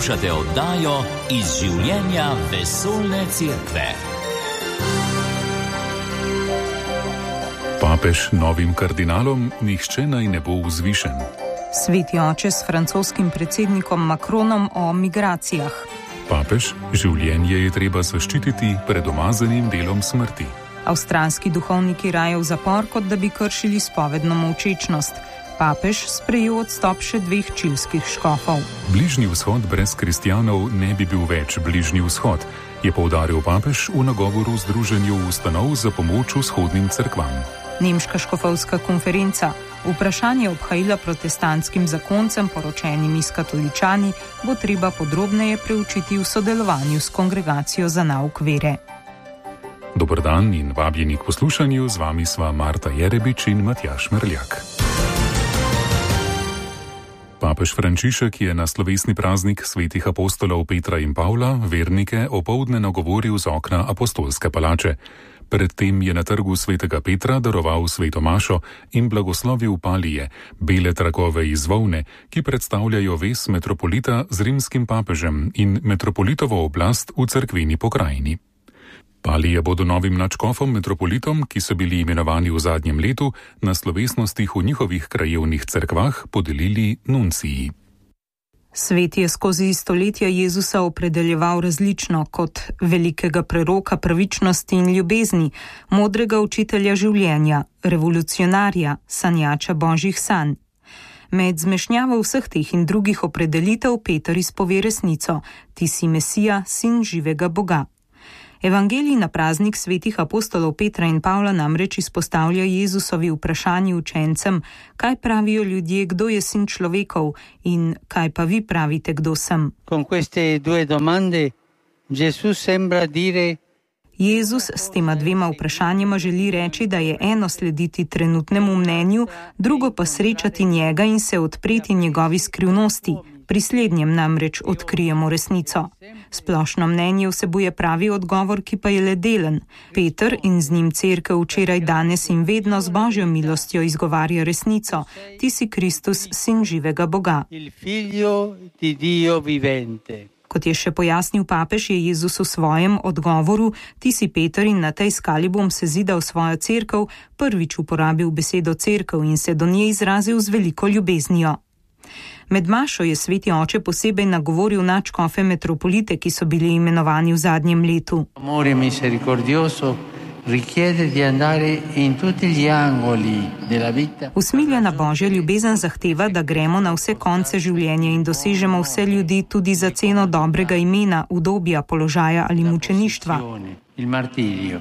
Poslušate oddajo Iz življenja vesoljne cerkve. Papež novim kardinalom nihče naj ne bo vzvišen. Sveti oče s francoskim predsednikom Macronom o migracijah. Papež, življenje je treba zaščititi pred umazanim delom smrti. Avstralski duhovniki raje v zapor, kot da bi kršili spovedno molčečnost. Papež sprejel odstop še 2 čilskih škofov. Bližnji vzhod brez kristjanov ne bi bil več bližnji vzhod, je poudaril papež v nagovoru Združenju ustanov za pomoč vzhodnim cerkvam. Nemška škofovska konferenca. Vprašanje obhajila protestantskim zakoncem, poročenimi s katoličani, bo treba podrobneje preučiti v sodelovanju s Kongregacijo za nauk vere. Dober dan in vabljeni k poslušanju, z vami sva Marta Jerebič in Matjaž Merljak. Papež Frančišek je na slovesni praznik svetih apostolov Petra in Pavla vernike opoldne nagovoril z okna apostolske palače. Predtem je na trgu svetega Petra daroval sveto mašo in blagoslovil palije, bele trakove iz volne, ki predstavljajo vez metropolita z rimskim papežem in metropolitovo oblast v cerkveni pokrajini. Palije bodo novim nadškofom metropolitom, ki so bili imenovani v zadnjem letu, na slovesnostih v njihovih krajevnih cerkvah podelili nunciji. Svet je skozi stoletja Jezusa opredeljeval različno kot velikega preroka pravičnosti in ljubezni, modrega učitelja življenja, revolucionarja, sanjača božjih sanj. Med zmešnjavo vseh teh in drugih opredelitev Peter izpove resnico: ti si Mesija, sin živega Boga. Evangelij na praznik svetih apostolov Petra in Pavla namreč izpostavlja Jezusovi vprašanji učencem, kaj pravijo ljudje, kdo je sin človekov, in kaj pa vi pravite, kdo sem. Con queste due domande Gesù sembra dire: Jezus s tema 2 vprašanjima želi reči, da je eno slediti trenutnemu mnenju, drugo pa srečati njega in se odpreti njegovi skrivnosti. Pri slednjem namreč odkrijemo resnico. Splošno mnenje vsebuje pravi odgovor, ki pa je le delen. Peter in z njim cerkev včeraj, danes in vedno z božjo milostjo izgovarja resnico: ti si Kristus, sin živega Boga. Il figlio di Dio vivente. Kot je še pojasnil papež, je Jezus v svojem odgovoru: ti si Peter in na tej skali bom sezidal svojo cerkev, prvič uporabil besedo cerkev in se do nje izrazil z veliko ljubeznijo. Med mašo je sveti oče posebej nagovoril nadškofe metropolite, ki so bili imenovani v zadnjem letu. Amore misericordioso richiede di andare in tutti gli angoli della vita. Usmiljena božja ljubezen zahteva, da gremo na vse konce življenja in dosežemo vse ljudi tudi za ceno dobrega imena, udobja, položaja ali mučeništva. Il martirio.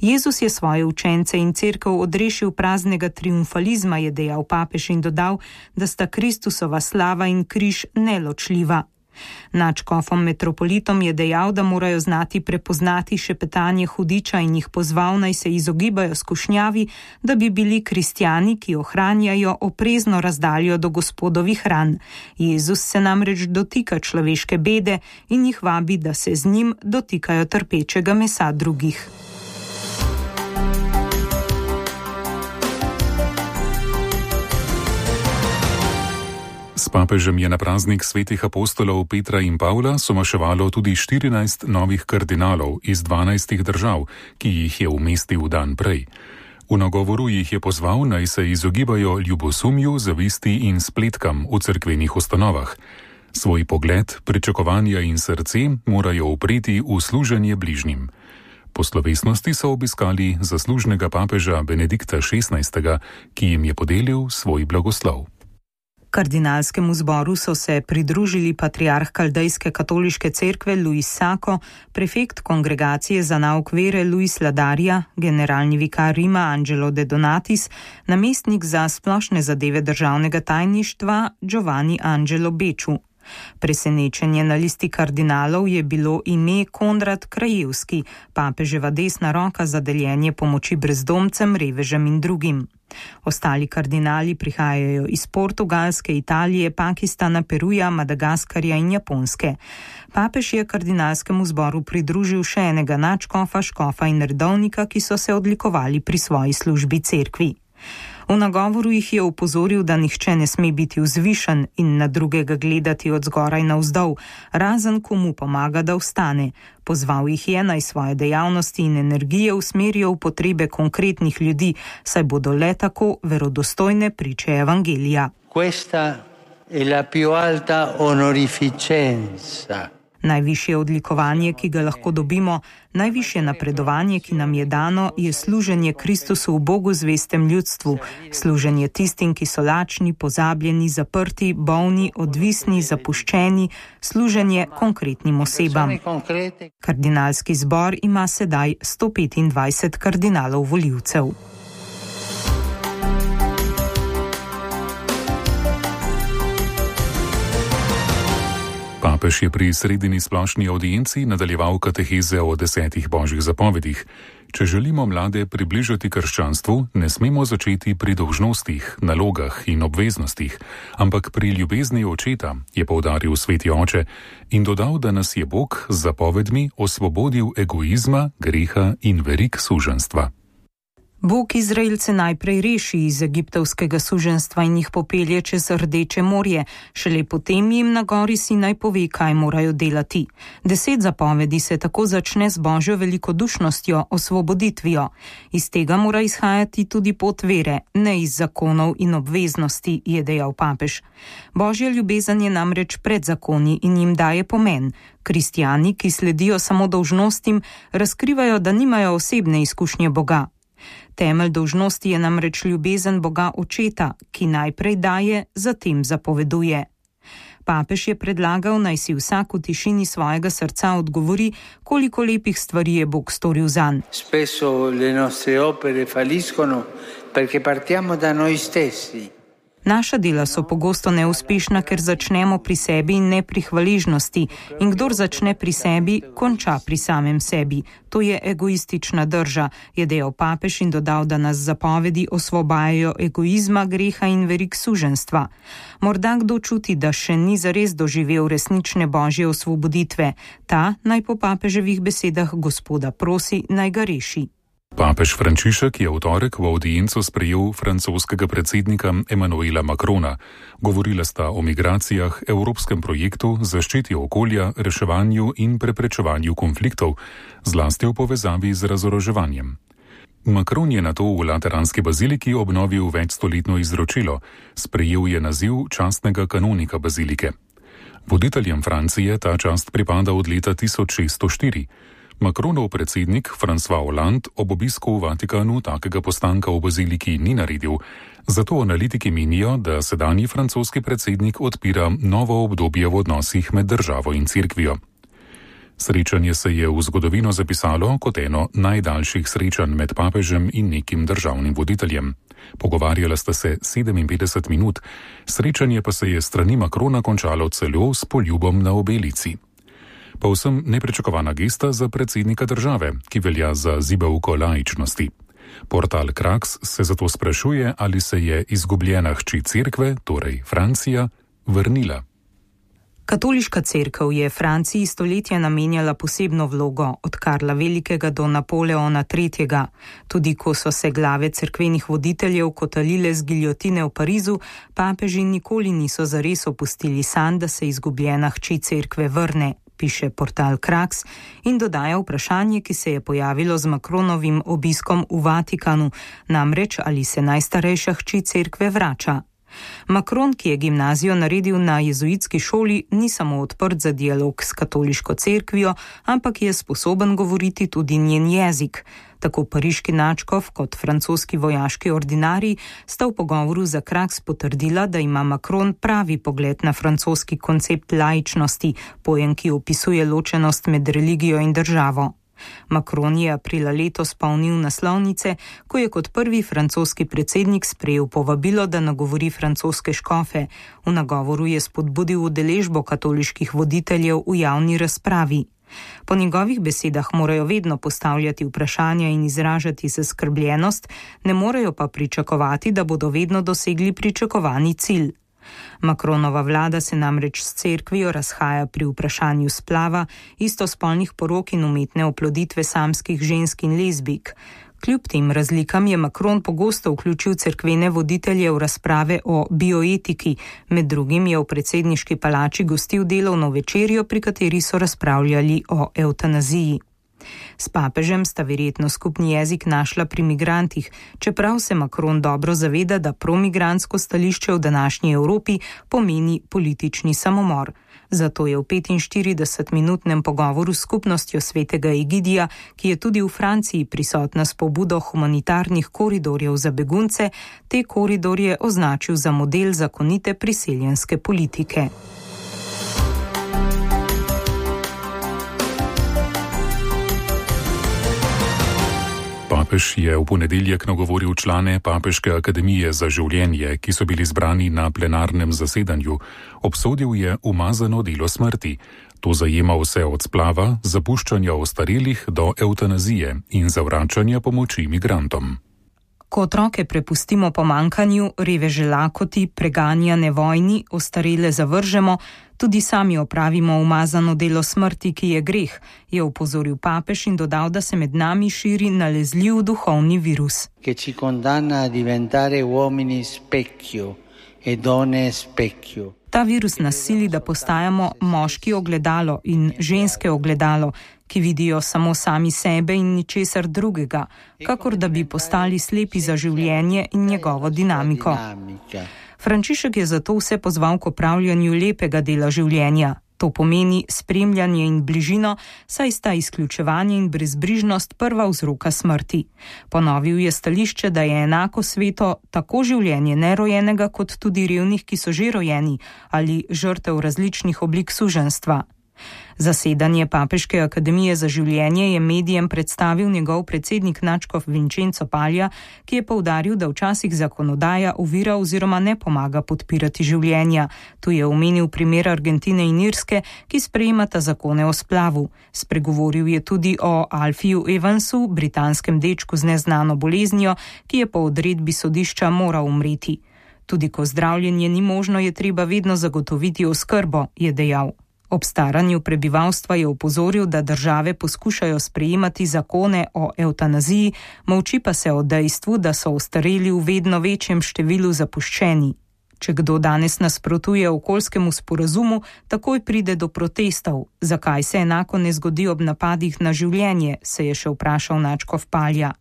Jezus je svoje učence in cerkev odrešil praznega triumfalizma, je dejal papež in dodal, da sta Kristusova slava in križ neločljiva. Nadškofom metropolitom je dejal, da morajo znati prepoznati šepetanje hudiča in jih pozval, naj se izogibajo skušnjavi, da bi bili kristjani, ki ohranjajo oprezno razdaljo do Gospodovih ran. Jezus se namreč dotika človeške bede in jih vabi, da se z njim dotikajo trpečega mesa drugih. S papežem je na praznik svetih apostolov Petra in Pavla somaševalo tudi 14 novih kardinalov iz 12 držav, ki jih je umestil dan prej. V nagovoru jih je pozval, naj se izogibajo ljubosumju, zavisti in spletkam v cerkvenih ustanovah. Svoj pogled, pričakovanja in srce morajo upreti v služenje bližnjim. Po slovesnosti so obiskali zaslužnega papeža Benedikta XVI., ki jim je podelil svoj blagoslov. Kardinalskemu zboru so se pridružili patriarh Kaldejske katoliške cerkve Luis Sako, prefekt Kongregacije za nauk vere Luis Ladarja, generalni vikar Rima Angelo de Donatis, namestnik za splošne zadeve državnega tajništva Giovanni Angelo Beču. Presenečenje na listi kardinalov je bilo ime Konrad Krajevski, papeževa desna roka za deljenje pomoči brezdomcem, revežem in drugim. Ostali kardinali prihajajo iz Portugalske, Italije, Pakistana, Peruja, Madagaskarja in Japonske. Papež je kardinalskemu zboru pridružil še enega nadškofa, škofa in redovnika, ki so se odlikovali pri svoji službi cerkvi. V nagovoru jih je opozoril, da nihče ne sme biti vzvišen in na drugega gledati od zgoraj navzdol, razen komu pomaga, da vstane. Pozval jih je, naj svoje dejavnosti in energije usmerijo v potrebe konkretnih ljudi, saj bodo le tako verodostojne priče evangelija. Questa è la più alta onorificenza. Najvišje odlikovanje, ki ga lahko dobimo, najvišje napredovanje, ki nam je dano, je služenje Kristusu v Bogu zvestem ljudstvu, služenje tistim, ki so lačni, pozabljeni, zaprti, bolni, odvisni, zapuščeni, služenje konkretnim osebam. Kardinalski zbor ima sedaj 125 kardinalov volivcev. Papež je pri sredini splošni audienci nadaljeval kateheze o 10 božjih zapovedih. Če želimo mlade približati krščanstvu, ne smemo začeti pri dolžnostih, nalogah in obveznostih, ampak pri ljubezni očeta, je poudaril sveti oče in dodal, da nas je Bog z zapovedmi osvobodil egoizma, greha in verig suženjstva. Bog Izraelce najprej reši iz egiptovskega suženjstva in jih popelje čez Rdeče morje, šele potem jim na gori Sinaj pove, kaj morajo delati. 10 zapovedi se tako začne z božjo velikodušnostjo, osvoboditvijo. Iz tega mora izhajati tudi pot vere, ne iz zakonov in obveznosti, je dejal papež. Božja ljubezen je namreč pred zakoni in jim daje pomen. Kristjani, ki sledijo samo dolžnostim, razkrivajo, da nimajo osebne izkušnje Boga. Temelj dolžnosti je namreč ljubezen Boga Očeta, ki najprej daje, zatem zapoveduje. Papež je predlagal, naj si vsak v tišini svojega srca odgovori, koliko lepih stvari je Bog storil zanj. Spesso le nostre opere falliscono perché partiamo da noi stessi. Naša dela so pogosto neuspešna, ker začnemo pri sebi in ne pri hvaležnosti. In kdor začne pri sebi, konča pri samem sebi. To je egoistična drža, je dejal papež in dodal, da nas zapovedi osvobajajo egoizma, greha in verig suženjstva. Morda kdo čuti, da še ni zares doživel resnične božje osvoboditve. Ta naj po papeževih besedah Gospoda prosi, naj ga reši. Papež Frančišek je v torek v audienco sprejel francoskega predsednika Emmanuela Macrona. Govorila sta o migracijah, evropskem projektu, zaščiti okolja, reševanju in preprečevanju konfliktov, zlasti v povezavi z razoroževanjem. Macron je nato v Lateranski baziliki obnovil večstoletno izročilo, sprejel je naziv častnega kanonika bazilike. Voditeljem Francije ta čast pripada od leta 1604. Macronov predsednik François Hollande ob obisku v Vatikanu takega postanka v baziliki ni naredil, zato analitiki menijo, da sedanji francoski predsednik odpira novo obdobje v odnosih med državo in cerkvijo. Srečanje se je v zgodovino zapisalo kot eno najdaljših srečanj med papežem in nekim državnim voditeljem. Pogovarjala sta se 57 minut, srečanje pa se je strani Macrona končalo celo s poljubom na obelici. Povsem nepričakovana gesta za predsednika države, ki velja za zibelko laičnosti. Portal Krax se zato sprašuje, ali se je izgubljena hči cerkve, torej Francija, vrnila. Katoliška cerkev je Franciji stoletja namenjala posebno vlogo, od Karla Velikega do Napoleona III. Tudi ko so se glave cerkvenih voditeljev kotalile z giljotine v Parizu, papeži nikoli niso zares opustili sanj, da se izgubljena hči cerkve vrne, piše portal Krax in dodaja vprašanje, ki se je pojavilo z Macronovim obiskom v Vatikanu, namreč ali se najstarejša hči cerkve vrača. Macron, ki je gimnazijo naredil na jezuitski šoli, ni samo odprt za dialog s katoliško cerkvijo, ampak je sposoben govoriti tudi njen jezik. Tako pariški nadškof kot francoski vojaški ordinarij sta v pogovoru za Krax potrdila, da ima Macron pravi pogled na francoski koncept laičnosti, pojem, ki opisuje ločenost med religijo in državo. Macron je aprila letos polnil naslovnice, ko je kot prvi francoski predsednik sprejel povabilo, da nagovori francoske škofe. V nagovoru je spodbudil udeležbo katoliških voditeljev v javni razpravi. Po njegovih besedah morajo vedno postavljati vprašanja in izražati zaskrbljenost, ne morejo pa pričakovati, da bodo vedno dosegli pričakovani cilj. Macronova vlada se namreč s cerkvijo razhaja pri vprašanju splava, istospolnih porok in umetne oploditve samskih žensk in lezbijk. Kljub tem razlikam je Macron pogosto vključil cerkvene voditelje v razprave o bioetiki. Med drugim je v predsedniški palači gostil delovno večerjo, pri kateri so razpravljali o evtanaziji. S papežem sta verjetno skupni jezik našla pri migrantih, čeprav se Macron dobro zaveda, da promigrantsko stališče v današnji Evropi pomeni politični samomor. Zato je v 45-minutnem pogovoru s skupnostjo svetega Egidija, ki je tudi v Franciji prisotna s pobudo humanitarnih koridorjev za begunce, te koridorje označil za model zakonite priseljenske politike. Papež je v ponedeljek nagovoril člane Papeške akademije za življenje, ki so bili zbrani na plenarnem zasedanju. Obsodil je umazano delo smrti. To zajema vse od splava, zapuščanja ostarelih do evtanazije in zavračanja pomoči migrantom. Ko otroke prepustimo pomankanju, reveže lakoti, preganjane vojni, ostarele zavržemo, tudi sami opravimo umazano delo smrti, ki je greh, je opozoril papež in dodal, da se med nami širi nalezljiv duhovni virus. Che ci condanna a diventare uomini specchio e donne specchio. Ta virus nas sili, da postajamo moški ogledalo in ženske ogledalo, ki vidijo samo sami sebe in ničesar drugega, kakor da bi postali slepi za življenje in njegovo dinamiko. Frančišek je zato vse pozval k opravljanju lepega dela življenja. To pomeni spremljanje in bližino, saj sta izključevanje in brezbrižnost prva vzroka smrti. Ponovil je stališče, da je enako sveto tako življenje nerojenega kot tudi revnih, ki so že rojeni, ali žrtev različnih oblik suženjstva. Zasedanje Papeške akademije za življenje je medijem predstavil njegov predsednik nadškof Vincenzo Paglia, ki je poudaril, da včasih zakonodaja ovira oziroma ne pomaga podpirati življenja. Tu je omenil primer Argentine in Irske, ki sprejemata zakone o splavu. Spregovoril je tudi o Alfiju Evansu, britanskem dečku z neznano boleznijo, ki je po odredbi sodišča moral umreti. Tudi ko zdravljenje ni možno, je treba vedno zagotoviti oskrbo, je dejal. Ob staranju prebivalstva je opozoril, da države poskušajo sprejemati zakone o evtanaziji, molči pa se o dejstvu, da so ostareli v vedno večjem številu zapuščeni. Če kdo danes nasprotuje okoljskemu sporazumu, takoj pride do protestov. Zakaj se enako ne zgodi ob napadih na življenje, se je še vprašal nadškof Paglia.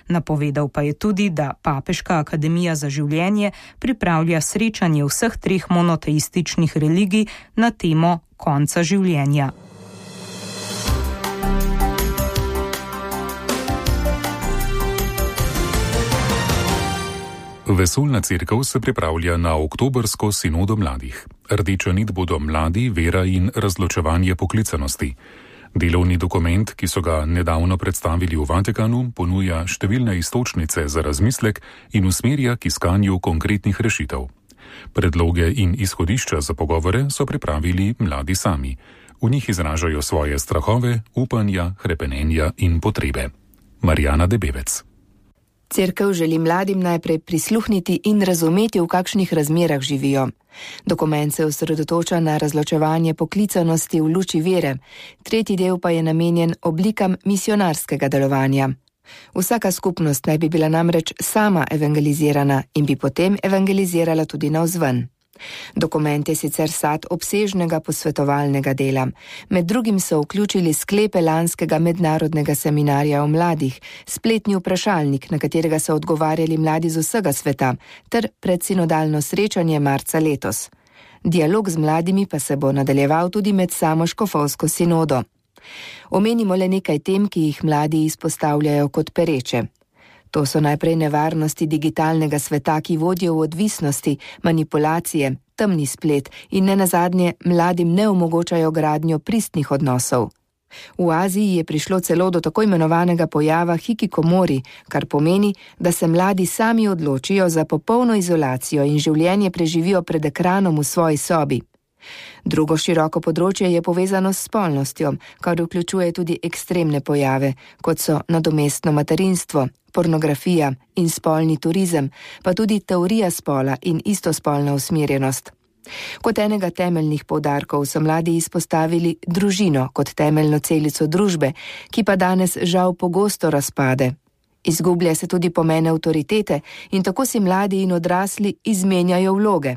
Napovedal pa je tudi, da Papeška akademija za življenje pripravlja srečanje vseh treh monoteističnih religij na temo konca življenja. Vesoljna cerkev se pripravlja na oktobrsko sinodo mladih. Rdeča nit bodo mladi, vera in razločevanje poklicanosti. Delovni dokument, ki so ga nedavno predstavili v Vatikanu, ponuja številne iztočnice za razmislek in usmerja k iskanju konkretnih rešitev. Predloge in izhodišča za pogovore so pripravili mladi sami. V njih izražajo svoje strahove, upanja, hrepenenja in potrebe. Marjana Debevec. Cerkev želi mladim najprej prisluhniti in razumeti, v kakšnih razmerah živijo. Dokument se osredotoča na razločevanje poklicanosti v luči vere, tretji del pa je namenjen oblikam misionarskega delovanja. Vsaka skupnost naj bi bila namreč sama evangelizirana in bi potem evangelizirala tudi navzven. Dokument je sicer sad obsežnega posvetovalnega dela. Med drugim so vključili sklepe lanskega mednarodnega seminarja o mladih, spletni vprašalnik, na katerega so odgovarjali mladi z vsega sveta, ter predsinodalno srečanje marca letos. Dialog z mladimi pa se bo nadaljeval tudi med samo škofovsko sinodo. Omenimo le nekaj tem, ki jih mladi izpostavljajo kot pereče. To so najprej nevarnosti digitalnega sveta, ki vodijo v odvisnosti, manipulacije, temni splet in nenazadnje mladim ne omogočajo gradnjo pristnih odnosov. V Aziji je prišlo celo do tako imenovanega pojava hikikomori, kar pomeni, da se mladi sami odločijo za popolno izolacijo in življenje preživijo pred ekranom v svoji sobi. Drugo široko področje je povezano s spolnostjo, kar vključuje tudi ekstremne pojave, kot so nadomestno materinstvo, pornografija in spolni turizem, pa tudi teorija spola in istospolna usmerjenost. Kot enega temeljnih poudarkov so mladi izpostavili družino kot temeljno celico družbe, ki pa danes žal pogosto razpade. Izgublja se tudi pomen avtoritete in tako si mladi in odrasli izmenjajo vloge.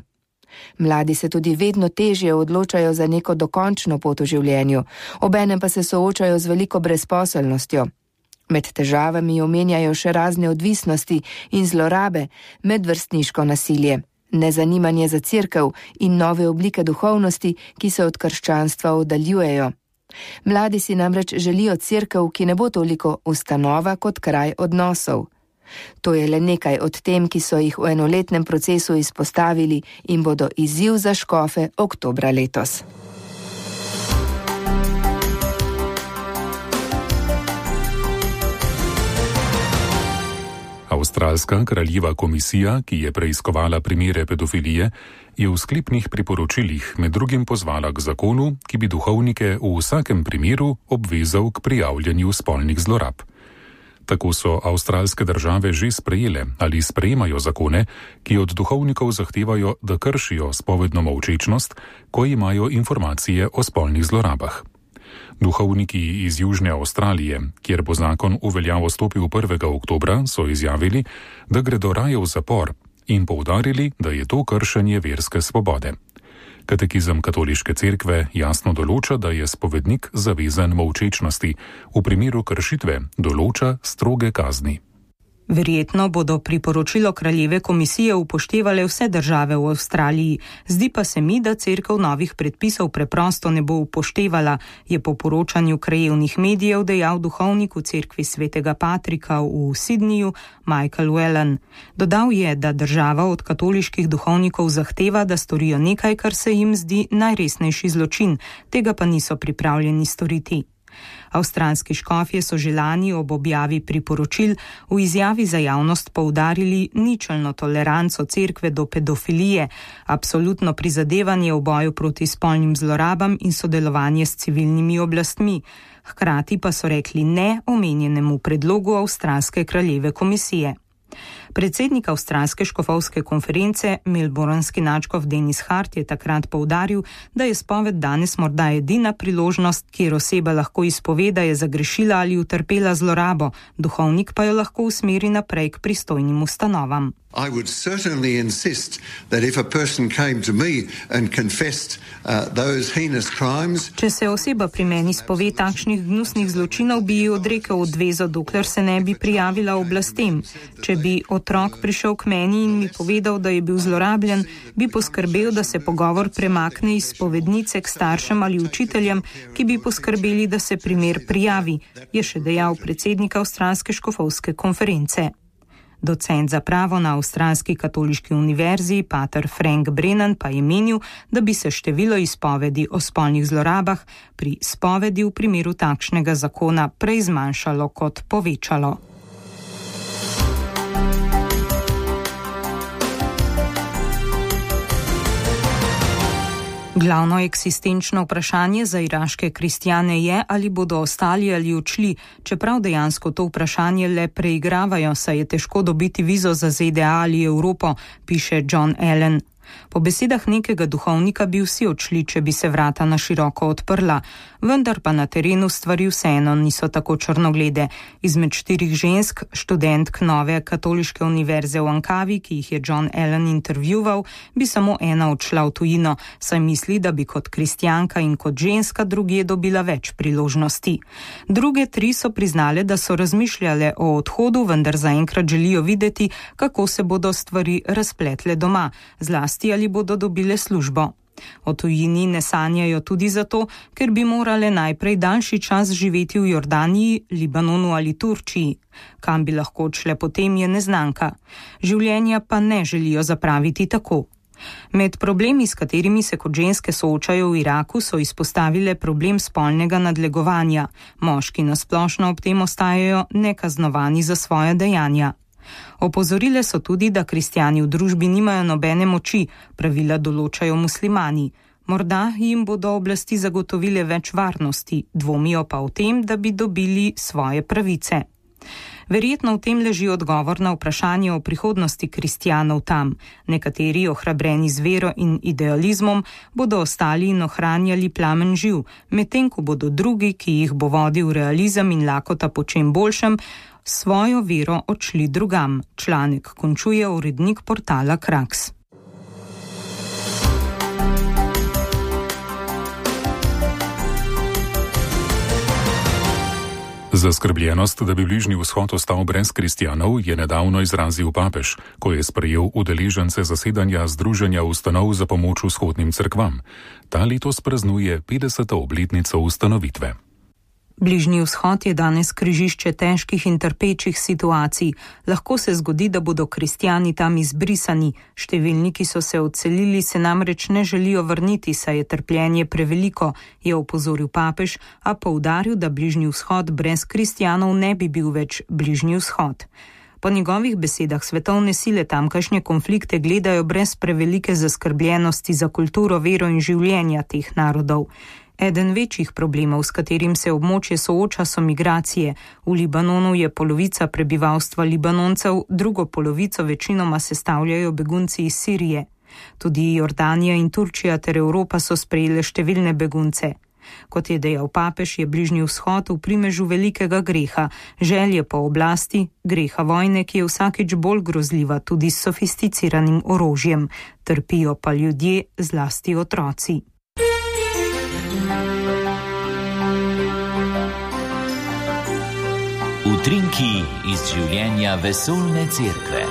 Mladi se tudi vedno težje odločajo za neko dokončno pot v življenju, obenem pa se soočajo z veliko brezposelnostjo. Med težavami omenjajo še razne odvisnosti in zlorabe, medvrstniško nasilje, nezanimanje za cerkev in nove oblike duhovnosti, ki se od krščanstva oddaljujejo. Mladi si namreč želijo cerkev, ki ne bo toliko ustanova kot kraj odnosov. To je le nekaj od tem, ki so jih v enoletnem procesu izpostavili in bodo izziv za škofe oktobra letos. Avstralska kraljeva komisija, ki je preiskovala primere pedofilije, je v sklepnih priporočilih med drugim pozvala k zakonu, ki bi duhovnike v vsakem primeru obvezal k prijavljanju spolnih zlorab. Tako so avstralske države že sprejele ali sprejemajo zakone, ki od duhovnikov zahtevajo, da kršijo spovedno molčečnost, ko imajo informacije o spolnih zlorabah. Duhovniki iz Južne Avstralije, kjer bo zakon v veljavo stopil 1. oktobra, so izjavili, da gredo raje v zapor in poudarili, da je to kršenje verske svobode. Katekizem katoliške cerkve jasno določa, da je spovednik zavezan molčečnosti, v primeru kršitve določa stroge kazni. Verjetno bodo priporočilo kraljeve komisije upoštevale vse države v Avstraliji, zdi pa se mi, da cerkev novih predpisov preprosto ne bo upoštevala, je po poročanju krajevnih medijev dejal duhovnik v cerkvi svetega Patrika v Sydneyju Michael Whelan. Dodal je, da država od katoliških duhovnikov zahteva, da storijo nekaj, kar se jim zdi najresnejši zločin, tega pa niso pripravljeni storiti. Avstralski škofje so že lani ob objavi priporočil v izjavi za javnost poudarili ničelno toleranco cerkve do pedofilije, absolutno prizadevanje v boju proti spolnim zlorabam in sodelovanje s civilnimi oblastmi. Hkrati pa so rekli ne omenjenemu predlogu avstralske kraljeve komisije. Predsednik avstralske škofovske konference, melbournski nadškof Denis Hart, je takrat poudaril, da je spoved danes morda edina priložnost, kjer oseba lahko izpove, da je zagrešila ali utrpela zlorabo, duhovnik pa jo lahko usmeri naprej k pristojnim ustanovam. I would certainly insist that if a person came to me and confessed those heinous crimes. Če se oseba pri meni spove takšnih gnusnih zločinov, bi ji odrekel odvezo, dokler se ne bi prijavila oblastem. Če bi otrok prišel k meni in mi povedal, da je bil zlorabljen, bi poskrbel, da se pogovor premakne iz spovednice k staršem ali učiteljem, ki bi poskrbeli, da se primer prijavi, je še dejal predsednik avstralske škofovske konference. Docent za pravo na Avstralski katoliški univerzi, pater Frank Brennan, pa je menil, da bi se število izpovedi o spolnih zlorabah pri spovedi v primeru takšnega zakona prej zmanjšalo kot povečalo. Glavno eksistenčno vprašanje za iraške kristjane je, ali bodo ostali ali odšli, čeprav dejansko to vprašanje le preigravajo, saj je težko dobiti vizo za ZDA ali Evropo, piše John Allen. Po besedah nekega duhovnika bi vsi odšli, če bi se vrata na široko odprla, vendar pa na terenu stvari vseeno niso tako črnoglede. Izmed 4 žensk, študentk nove katoliške univerze v Ankavi, ki jih je John Allen intervjuval, bi samo ena odšla v tujino, saj misli, da bi kot kristjanka in kot ženska drugje dobila več priložnosti. Druge 3 so priznale, da so razmišljale o odhodu, vendar zaenkrat želijo videti, kako se bodo stvari razpletle doma, zlasti ali bodo dobile službo. O tujini ne sanjajo tudi zato, ker bi morale najprej daljši čas živeti v Jordaniji, Libanonu ali Turčiji. Kam bi lahko odšle potem, je neznanka. Življenja pa ne želijo zapraviti tako. Med problemi, s katerimi se kot ženske soočajo v Iraku, so izpostavile problem spolnega nadlegovanja. Moški nasplošno ob tem ostajajo nekaznovani za svoja dejanja. Opozorile so tudi, da kristjani v družbi nimajo nobene moči, pravila določajo muslimani. Morda jim bodo oblasti zagotovile več varnosti, dvomijo pa o tem, da bi dobili svoje pravice. Verjetno v tem leži odgovor na vprašanje o prihodnosti kristjanov tam. Nekateri, ohrabreni z vero in idealizmom, bodo ostali in ohranjali plamen živ, medtem ko bodo drugi, ki jih bo vodil realizem in lakota po čem boljšem, svojo vero odšli drugam. Članek končuje urednik portala Kraks. Zaskrbljenost, da bi Bližnji vzhod ostal brez kristjanov, je nedavno izrazil papež, ko je sprejel udeležence zasedanja Združenja ustanov za pomoč vzhodnim cerkvam. Ta letos praznuje 50. obletnico ustanovitve. Bližnji vzhod je danes križišče težkih in trpečih situacij. Lahko se zgodi, da bodo kristjani tam izbrisani. Številni, ki so se odselili, se namreč ne želijo vrniti, saj je trpljenje preveliko, je opozoril papež, a poudaril, da Bližnji vzhod brez kristjanov ne bi bil več Bližnji vzhod. Po njegovih besedah svetovne sile tamkajšnje konflikte gledajo brez prevelike zaskrbljenosti za kulturo, vero in življenja teh narodov. Eden večjih problemov, s katerim se območje sooča, so migracije. V Libanonu je polovica prebivalstva Libanoncev, drugo polovico večinoma sestavljajo begunci iz Sirije. Tudi Jordanija in Turčija ter Evropa so sprejele številne begunce. Kot je dejal papež, je Bližnji vzhod v primežu velikega greha, želje po oblasti, greha vojne, ki je vsakič bolj grozljiva tudi s sofisticiranim orožjem. Trpijo pa ljudje, zlasti otroci. Utrinki iz življenja vesoljne cerkve.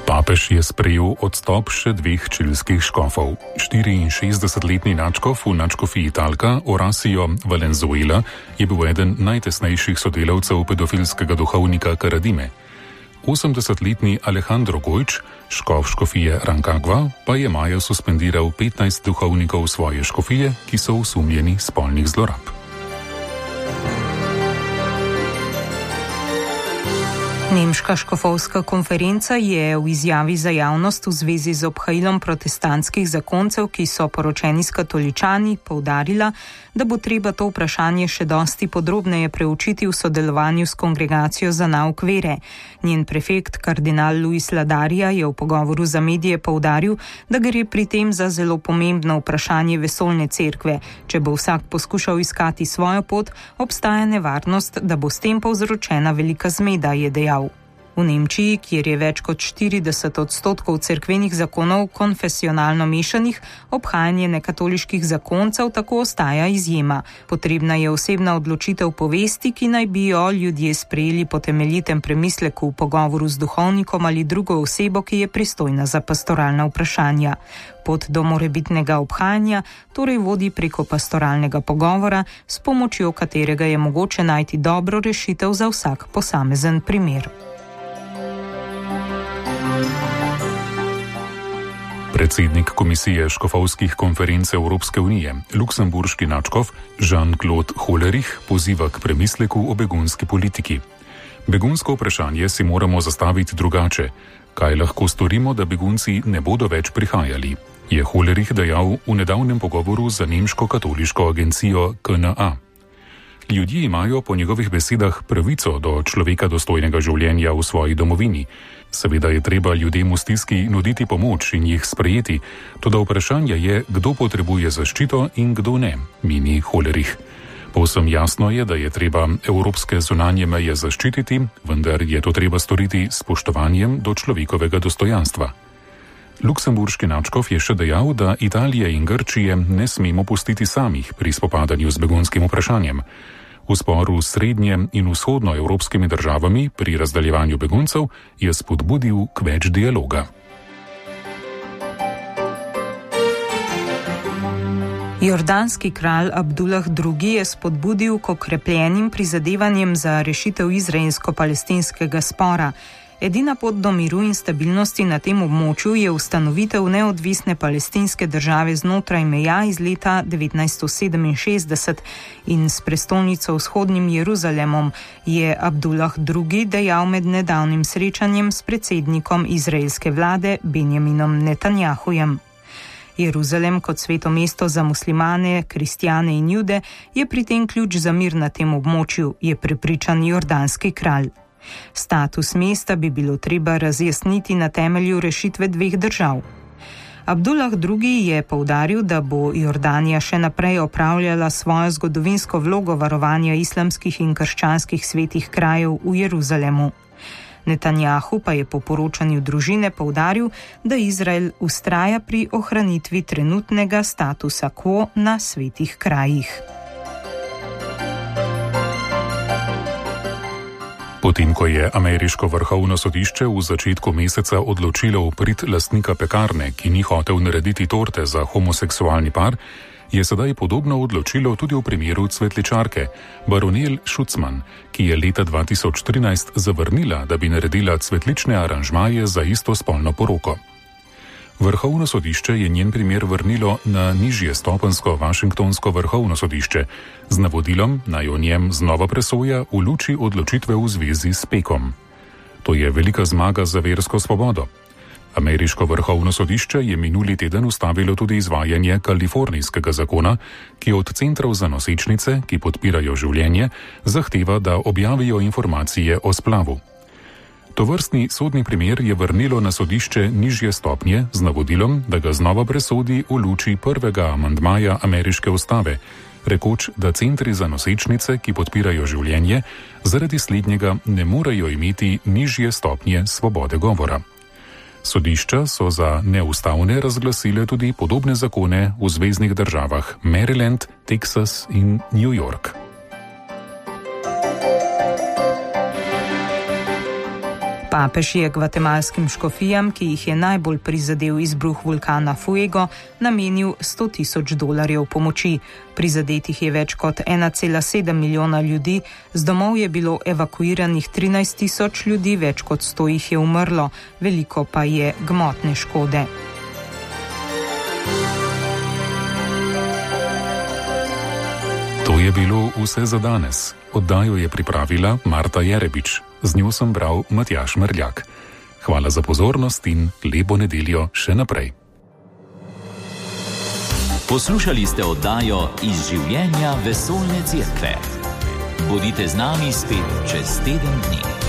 Papež je sprejel odstop še dveh čilskih škofov. 64-letni nadškof v nadškofiji Talca, Horacio Valenzuela, je bil eden najtesnejših sodelavcev pedofilskega duhovnika Karadime. 80-letni Alejandro Gojč, škof škofije Rancagua, pa je maja suspendiral 15 duhovnikov svoje škofije, ki so osumljeni spolnih zlorab. Nemška škofovska konferenca je v izjavi za javnost v zvezi z obhajilom protestantskih zakoncev, ki so poročeni s katoličani, poudarila, da bo treba to vprašanje še dosti podrobneje preučiti v sodelovanju s Kongregacijo za nauk vere. Njen prefekt, kardinal Luis Ladaria, je v pogovoru za medije poudaril, da gre pri tem za zelo pomembno vprašanje vesoljne cerkve. Če bo vsak poskušal iskati svojo pot, obstaja nevarnost, da bo s tem povzročena velika zmeda, je dejal. V Nemčiji, kjer je več kot 40% cerkvenih zakonov konfesionalno mešanih, obhajanje nekatoliških zakoncev tako ostaja izjema. Potrebna je osebna odločitev povesti, ki naj bi jo ljudje sprejeli po temeljitem premisleku v pogovoru z duhovnikom ali drugo osebo, ki je pristojna za pastoralna vprašanja. Pot do morebitnega obhajanja torej vodi preko pastoralnega pogovora, s pomočjo katerega je mogoče najti dobro rešitev za vsak posamezen primer. Predsednik Komisije škofovskih konferenc Evropske unije, luksemburški nadškof Jean-Claude Hollerich, poziva k premisleku o begunski politiki. Begunsko vprašanje si moramo zastaviti drugače. Kaj lahko storimo, da begunci ne bodo več prihajali, je Hollerich dejal v nedavnem pogovoru za nemško katoliško agencijo KNA. Ljudje imajo po njegovih besedah pravico do človeka dostojnega življenja v svoji domovini. Seveda je treba ljudem v stiski nuditi pomoč in jih sprejeti, toda vprašanje je, kdo potrebuje zaščito in kdo ne, meni Hollerich. Povsem jasno je, da je treba evropske zunanje meje zaščititi, vendar je to treba storiti s spoštovanjem do človekovega dostojanstva. Luksemburški nadškof je še dejal, da Italije in Grčije ne smemo pustiti samih pri spopadanju z begunskim vprašanjem. V sporu s srednje- in vzhodnoevropskimi državami pri razdeljevanju beguncev je spodbudil k več dialoga. Jordanski kralj Abdullah II. Je spodbudil k okrepljenim prizadevanjem za rešitev izraelsko-palestinskega spora. Edina pot do miru in stabilnosti na tem območju je ustanovitev neodvisne palestinske države znotraj meja iz leta 1967 in s prestolnico vzhodnim Jeruzalemom, je Abdullah II. Dejal med nedavnim srečanjem s predsednikom izraelske vlade Benjaminom Netanjahujem. Jeruzalem kot sveto mesto za muslimane, kristjane in jude je pri tem ključ za mir na tem območju, je prepričan jordanski kralj. Status mesta bi bilo treba razjasniti na temelju rešitve dveh držav. Abdullah II. Je poudaril, da bo Jordanija še naprej opravljala svojo zgodovinsko vlogo varovanja islamskih in krščanskih svetih krajev v Jeruzalemu. Netanjahu pa je po poročanju družine poudaril, da Izrael vztraja pri ohranitvi trenutnega statusa quo na svetih krajih. Potem, ko je ameriško vrhovno sodišče v začetku meseca odločilo v prid lastnika pekarne, ki ni hotel narediti torte za homoseksualni par, je sedaj podobno odločilo tudi v primeru cvetličarke Baronel Schutzmann, ki je leta 2013 zavrnila, da bi naredila cvetlične aranžmaje za istospolno poroko. Vrhovno sodišče je njen primer vrnilo na nižje stopensko Washingtonsko vrhovno sodišče z navodilom, naj o njem znova presoja v luči odločitve v zvezi s pekom. To je velika zmaga za versko svobodo. Ameriško vrhovno sodišče je minuli teden ustavilo tudi izvajanje kalifornijskega zakona, ki od centrov za nosečnice, ki podpirajo življenje, zahteva, da objavijo informacije o splavu. Tovrstni sodni primer je vrnilo na sodišče nižje stopnje z navodilom, da ga znova presodi v luči prvega amandmaja ameriške ustave, rekoč, da centri za nosečnice, ki podpirajo življenje, zaradi slednjega ne morejo imeti nižje stopnje svobode govora. Sodišča so za neustavne razglasile tudi podobne zakone v zveznih državah Maryland, Texas in New York. Papež je gvatemalskim škofijam, ki jih je najbolj prizadel izbruh vulkana Fuego, namenil $100,000 pomoči. Prizadetih je več kot 1,7 milijona ljudi, z domov je bilo evakuiranih 13,000 ljudi, več kot 100 jih je umrlo, veliko pa je gmotne škode. To je bilo vse za danes. Oddajo je pripravila Marta Jerebič. Z njo sem bral Matjaž Mrljak. Hvala za pozornost in lepo nedeljo še naprej. Poslušali ste oddajo Iz življenja vesoljne cerkve. Bodite z nami spet čez teden dni.